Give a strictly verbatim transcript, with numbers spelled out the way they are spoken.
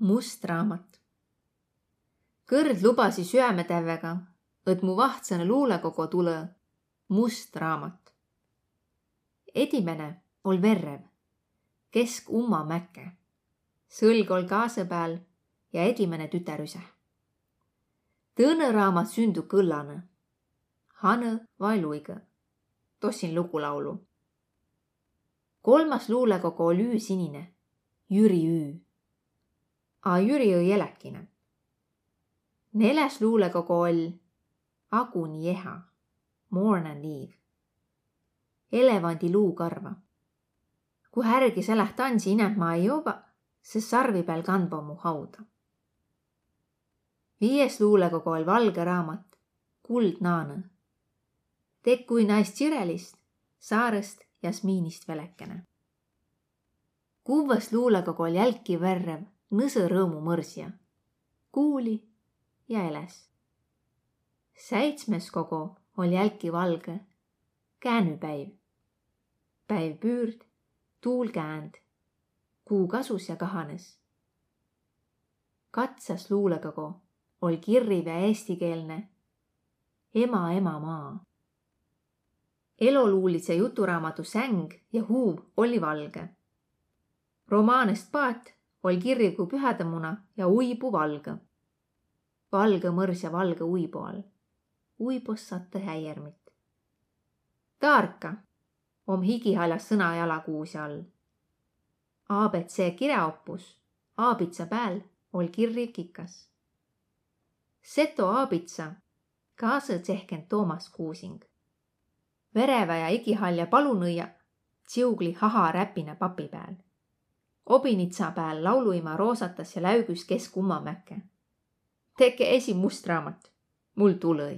Must raamat. Kõrd lubasi süämetävvega, õt mu vahtsõnõ luulõkogo tulõ must raamat. Edimäne oll' verrev, kesk umma mäkke. Sõlg oll' kaasõ pääl ja edimäne tütär üse. Tõõnõ raamat sündü kõllanõ. Hanõ vai luigõ. Tossin lugulaulu. Kolmas luulõkogo oll' Üü sinine, Jüri Üü. A Jüri ei eläkine. Neläs luulõkogo oll' Aguni eha, Mourn and Eve. Elevandi luukarva. Ku härgi seläh tansi inämb ma ei jovva, se sarvi pääl kandva mu hauda. Viies luulõkogo oll' valgõ raamat, Kuldnaanõ. Tekkui naist Čirelist, Saarõst, Jasmiinist velekene. Kuvvas luulõkogo oll' jälki verrev, Nõsõ rõõmu mõrsja. Kuuli ja eläs. Säitsmes kogo oll' jälki valgõ, Käänüpäiv. Päiv püürd, tuul käänd. Kuu kasus ja kahanes. Katsas luulõkogo oll' kirriv ja eestikeelne, Ema, ema maa. Eloluulidsõ juturaamadu Säng ja huuv olli valgõ. Romaanest Paat oll' kirriv ku pühädemuna ja uibu valgõ. Valgõ mõrsja valgõ uibu all. Uibos sattõ häiermit. Taarka om higihalja sõna jalakuusja all. A B C kiräoppus, aabitsa pääl oll' kirriv kikas. Seto aabitsa kaasõ tsehken Toomas Kuusing. Verevä ja igihalja palunõja tsiugli haha räpinä papi pääl. Obinitsa pääl lauluima roosatas ja läügüs kesk umma mäkke. Tekke esi must raamat. Mul tulõ-i.